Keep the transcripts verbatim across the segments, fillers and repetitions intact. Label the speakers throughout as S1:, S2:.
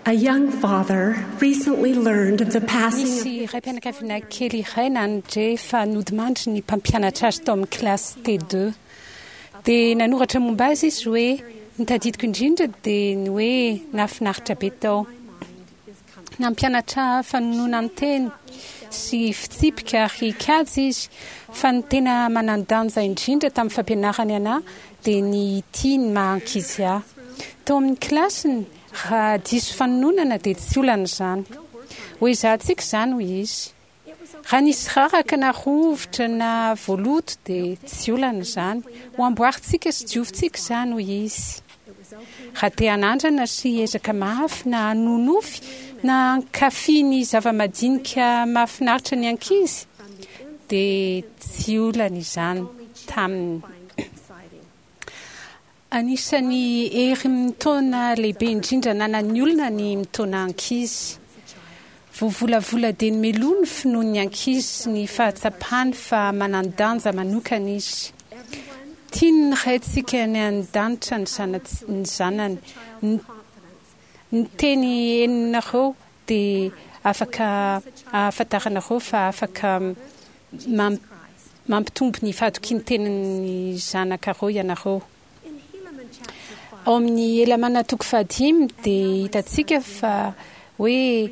S1: A young father recently learned of the passing of
S2: Nisy raim-pianakaviana kely iray nandre fa nodimandry ny mpampianatra azy tao amin'ny kilasy T deux. Dia nanoratra momba azy izy hoe ny tadidiko indrindra dia ny hoe nahafinaritra be tao. Nampianatra fanononan-teny sy fitsipika ary kajy izy, fa ny tena manan-danja indrindra tamin'ny fampianarany anahy dia ny tia ny maha ankizy ahy. Tao amin'ny kilasiny, raha diso fanononana dia tsy olana izany. Ho ezahantsika izany, hoy izy. Raha nisy raraka na rovitra na voaloto dia tsy olana izany. Ho amboarintsika sy diovintsika izany, hoy izy. Raha te hanandrana sy hiezaka mafy na hanonofy na hankafy ny zava-madinika mahafinaritra ny ankizy dia tsy olana izany taminy. Anisan'ny hery mitaona lehibe indrindra ananan'ny olona ny mitaona ankizy. Voavolavola dieny mialoha ny finoan'ny ankizy sy ny fahatsapany fa manan-danja manokana izy. Tian'ny Raintsika any an-danitra ny zana- ny zanany. Ny ny teny henonareo dia afaka ahafantaranareo fa afaka mam- mampitombo ny fahatokian-tenin'ny zanakareo ianareo. Ao amin'ny Helamàna toko fahadimy dia hitantsika fa hoe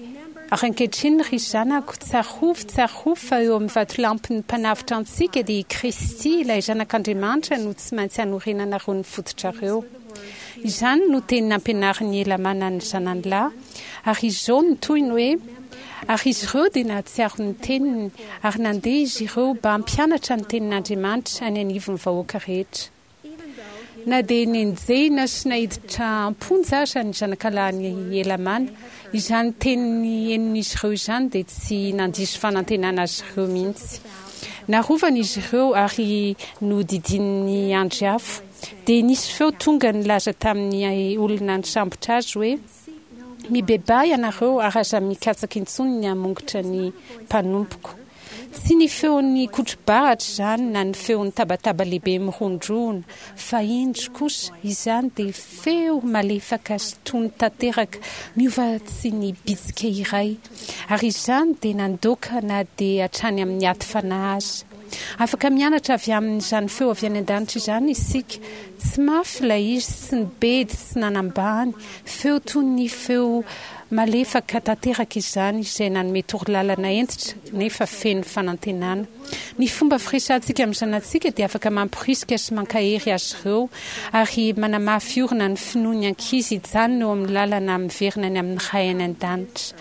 S2: ary ankehitriny ry zanako, tsarovy, tsarovy fa eo amin'ny vatolampin'ny mpanavotra antsika dia i Kristy ilay zanak'Andriamanitra no tsy maintsy hanorenanareo ny fototrareo. Izany no teny nampianarin'i Helamàna ny zanany lahy, ary izao no tohiny hoe ary izy ireo dia nahatsiaro ny teniny ary nandeha izy ireo mba hampianatra ny tenin'Andriamanitra any anivon'ny vahoaka rehetra. Na dia nenjehina sy naiditra am-ponja aza ny zanakalahin'i Helamàna, izany teny henon'izy ireo izany dia tsy nandiso fanantenana azy ireo mihitsy. Narovana izy ireo ary nodidinin'ny andry afo. Dia nisy feo tonga nilaza tamin'ny olona nisambotra azy hoe mibebaha ianareo ary aza mikatsaka intsony ny hamongotra ny mpanompoko. Tsy ny feon'ny kotro-baratra izany na ny feon'ny tabataba lehibe mirondrona, fa indro kosa izany dia feo malefaka sy tony tanteraka miova tsy ny bitsika iray, ary izany dia nandoaka na dia hatrany amin'ny aty fanahy aza. Afaka mianatra avy amin'izany feo avy any an-danitra izany isika. Tsy mafy ilay izy, tsy nibedy, tsy nanambany, feo toy ny feo malefaka tanteraka izany izay nanome torolalana hentitra nefa feno fanantenana. Ny fomba firesahantsika amin'ny zanatsika dia afaka mamporisika sy mankahery azy ireo ary manamafy orina ny finoan'ny ankizy hijanona eo amin'ny lalana miverina any amin'ny Ray any an-danitra.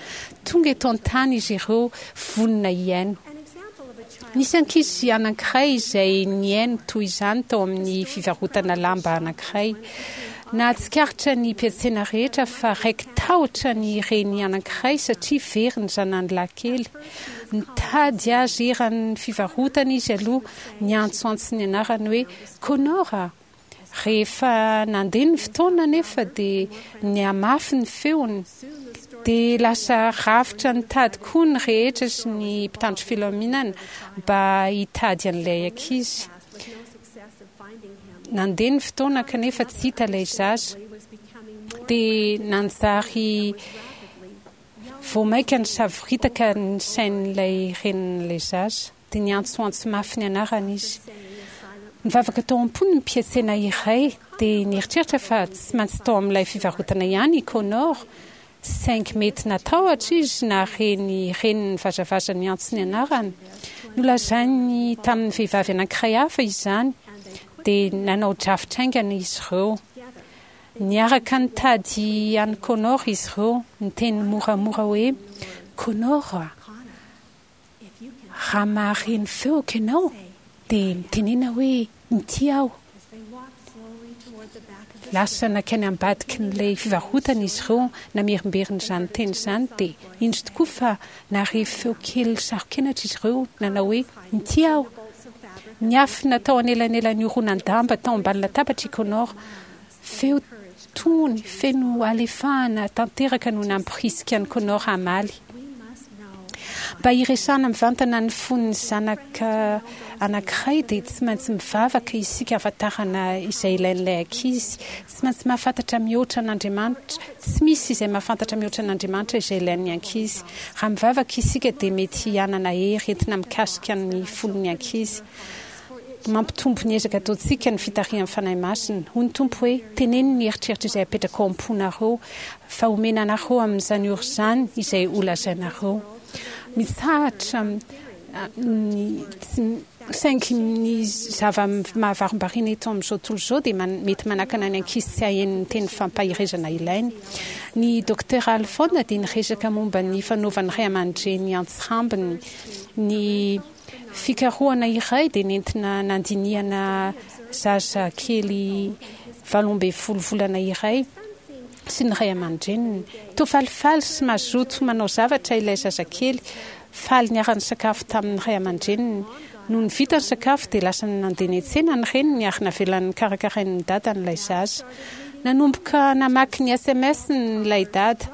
S2: Tonga eto an-tany izy ireo vonona hihaino. Nisy ankizy anankiray izay nihaino toy izany tao amin'ny fivarotana lamba anankiray. Nahatsikaritra ny mpiantsena rehetra fa raiki-tahotra ny reny anankiray satria very ny zanany lahy kely. Nitady azy eran'ny fivarotana izy aloha, niantsoantso ny anarany hoe Connor a! Rehefa nandeha ny fotoana anefa dia nihamafy ny feony, dia lasa rafitra nitady koa ny rehetra sy ny mpitandro filaminana mba hitady an'ilay ankizy. Nandeha ny fotoana kanefa tsy hita ilay zaza. Dia nanjary vao mainka nisavoritaka ny sain'ilay renin'ilay zaza. Dia niantsoantso mafy ny anarany izy. Nivavaka tao am-pony ny mpiantsena iray, dia nieritreritra fa tsy maintsy tao amin'ilay fivarotana ihany i Connor, saingy mety natahotra izy nahare ny reniny nivazavaza niantso ny anarany. Nolazainy tamin'ny vehivavy anankiray hafa izany, dia nanao drafitra haingana izy ireo. Niaraka nitady an'i Connor izy ireo, niteny moramora hoe, Connor a! Raha mahare ny feoko ianao, dia mitenena hoe, Inty aho. Lasa nankany ambadikin'ilay fivarotana izy ireo namerimberina izany teny izany, dia indro tokoa fa nahare feo kely saro-kenatra izy ireo nanao hoe, Inty aho. Niafina tao anelanelan'ny horonan-damba tao ambany latabatra i Connor. Feo tony, feno halefahana tanteraka no nampirisika an'i Connor hamaly. Mba hiresahana mivantana ny fon'ny zanaka anankiray dia tsy maintsy mivavaka isika hahafantarana izay ilain'ilay ankizy. Tsy maintsy mahafantatra mihoatra an'Andriamanitra. Tsy misy izay mahafantatra mihoatra an'Andriamanitra izay ilain'ny ankizy. Raha mivavaka isika dia mety hanana hery entina mikasika ny fon'ny ankizy. Mampitombo ny ezaka ataontsika ny fitarihan'ny Fanahy Masina. Hoy ny Tompo hoe, Teneno ny eritreritra izay apetraka ao am-ponareo, fa homena anareo amin'izany ora izany izay holazainareo. Mitsahatra ny tsy, saingy ny zava-mahavarombariana eto amin'izao tontolo izao dia mety manakana ny ankizy tsy haheno ny teny fampaherezana ilainy. Ny Dokotera Alfon dia niresaka momba ny fanaovan'ny ray aman-dreny antsirambiny ny fikarohana iray dia nentina nandinihana zaza kely valo ambin'ny folo volana iray sy ny ray aman-dreniny. Toa falifaly sy mazoto manao zavatra ilay zazakely, faly niara-nisakafo tamin'ny ray aman-dreniny. Nony vita ny sakafo dia lasa nandeha niantsena ny reniny ary navelany nokarakarain'ny dadany ilay zaza. Nanomboka namaky ny S M S-ny ilay dada.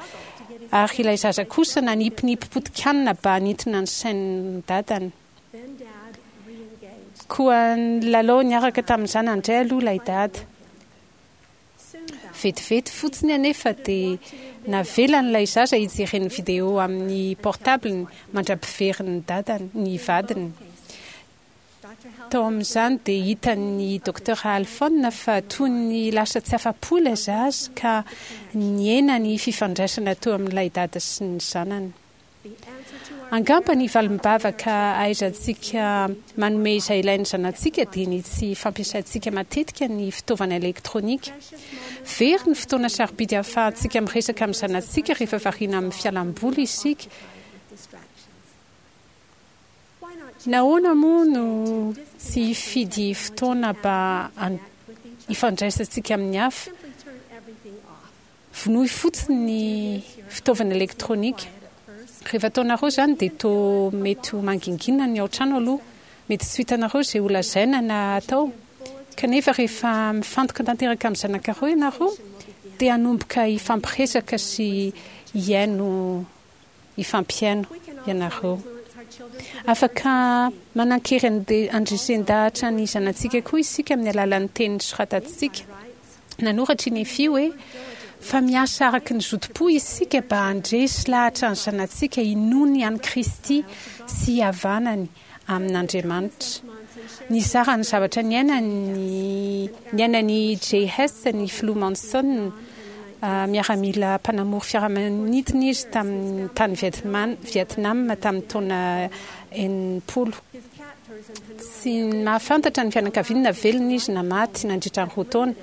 S2: Ary ilay zaza kosa nanipinipy potikanina ba nintona ny sain'ny dadany. Koa nilalao niaraka tamin'ny zanany indray aloha ilay dada. Vetivety fotsiny anefa dia navelan'ilay zaza hijereny vidéo amin'ny portable-ny mandra-piverin'ny dadany, ny vadiny. Tao amin'izany dia hitan'ny Docteur Alphone fa toy ny lasa tsy afa-po ilay zaza ka nihena ny fifandraisana teo amin'ilay dada sy ny zanany. Angamba ny valim-bavaka ahaizantsika manome izay ilain'ny zanatsika dia ny tsy fampiasantsika matetika ny fitaovana elektronika. Very ny fotoana sarobidy ahafahantsika miresaka amin'ny zanatsika rehefa variana amin'ny fialam-boly isika. Nahoana moa no tsy hifidy fotoana mba hifandraisantsika amin'ny hafa? Vonoy fotsiny ny fitaovana elektronika. Rehefa ataonareo izany dia toa mety ho mangingina ny ao an-trano aloha. Mety tsy ho hitanareo izay holazaina na hatao. Kanefa rehefa mifantoka tanteraka amin'ny zanakareo ianareo dia hanomboka hifampiresaka sy hihaino hifampihaino ianareo. Afaka manan-kery handresen-dahatra ny zanatsika koa isika amin'ny alalan'ny teny soratantsika. Nanoratra i Nefia hoe, Fa miasa araka ny zotom-po isika mba handresy lahatra ny zanatsika hinoany an'i Kristy sy hihavanany amin'Andriamanitra. Nizara ny zavatra niainany niainan'i Jay Hess ny Filoha Monson, miaramila mpanamory fiaramanidina izy tamin'ny tany Vietnam tamin'ny taona enimpolo. Tsy nahafantatra ny fianakaviany na velona izy na maty nandritra ny roa taona.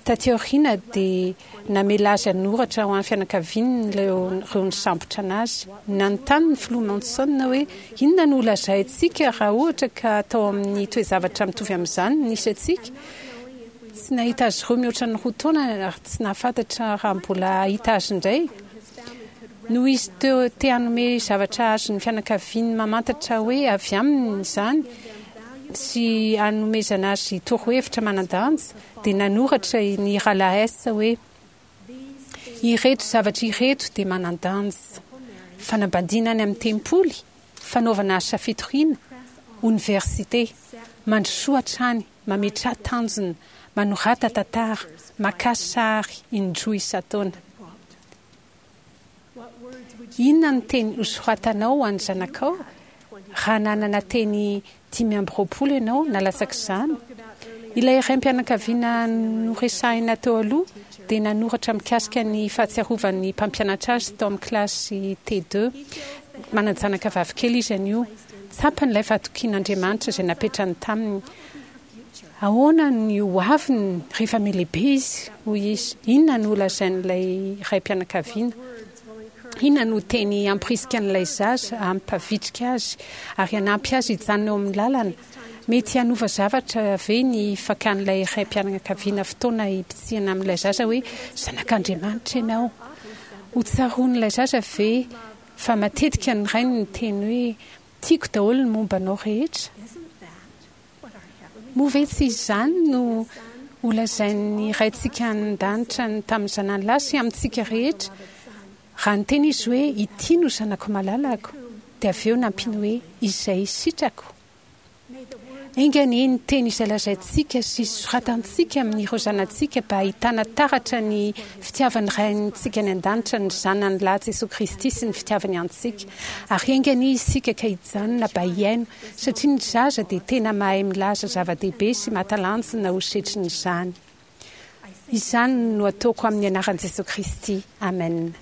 S2: Taty aoriana dia namela azy hanoratra ho an'ny fianakaviany ireo nisambotra anazy. Nanontany ny Filoha Monson hoe, Inona no holazaintsika raha ohatra ka tao amin'ny toe-javatra mitovy amin'izany no nisy antsika? Tsy nahita azy ireo mihoatra ny roa taona ary tsy nahafantatra raha mbola hahita azy indray. Noho izy teo te hanome zavatra azon'ny fianakaviany mamantatra hoe avy aminy izany sy hanomezana azy torohevitra manan-danja, dia nanoratra ny Rahalahy Hess hoe, Ireto zavatra ireto dia manan-danja, fanambadiana any amin'ny tempoly, fanaovana asa fitoriana, oniversite, mandrosoa hatrany, mametraha tanjona, manorata tantara, makà sary indroa isan-taona. Inona no teny hosoratanao ho an'ny zanakao raha nanana teny dimy amby roapolo ianao na latsak'izany? Ilay raim-pianakaviana noresahina teo aloha dia nanoratra mikasika ny fahatsiarovan'ny mpampianatra azy tao amin'ny kilasy T deux. Manan-janaka vavikely izy anio. Tsapany ilay fahatokian'Andriamanitra izay napetrany taminy. Ahoana ny ho aviny rehefa mihalehibe izy? Hoy izy. Inona no holazain'ilay raim-pianakaviana? Inona no teny hampirisika an'ilay zaza, hampavitrika azy, ary hanampy azy hijanona eo amin'ny lalana? Mety hanova zavatra ve ny fakan'ilay raim-pianakaviana fotoana hibitsihana amin'ilay zaza hoe, Zanak'Andriamanitra ianao? Hotsaroan'ilay zaza ve fa matetika ny rainy niteny hoe, Tiako daholo ny momba anao rehetra? Moa ve tsy izany no holazain'ny Raintsika any an-danitra tamin'ny Zanany lahy sy amintsika rehetra, raha niteny Izy hoe, Ity no Zanako malalako, Dia avy eo nampiany hoe, "Izay sitrako." Enga anie ny teny izay lazaintsika sy soratantsika amin'ireo zanatsika mba hahitana taratra ny fitiavan'ny Raintsika any an-danitra ny Zanany lahy Jesoa Kristy sy ny fitiavany antsika. Ary enga anie isika ka hijanona mba hihaino, satria ny zaza dia tena mahay milaza zava-dehibe sy mahatalanjona ho setrin'izany. Izany no ataoko amin'ny anaran'i Jesoa Kristy. Amen.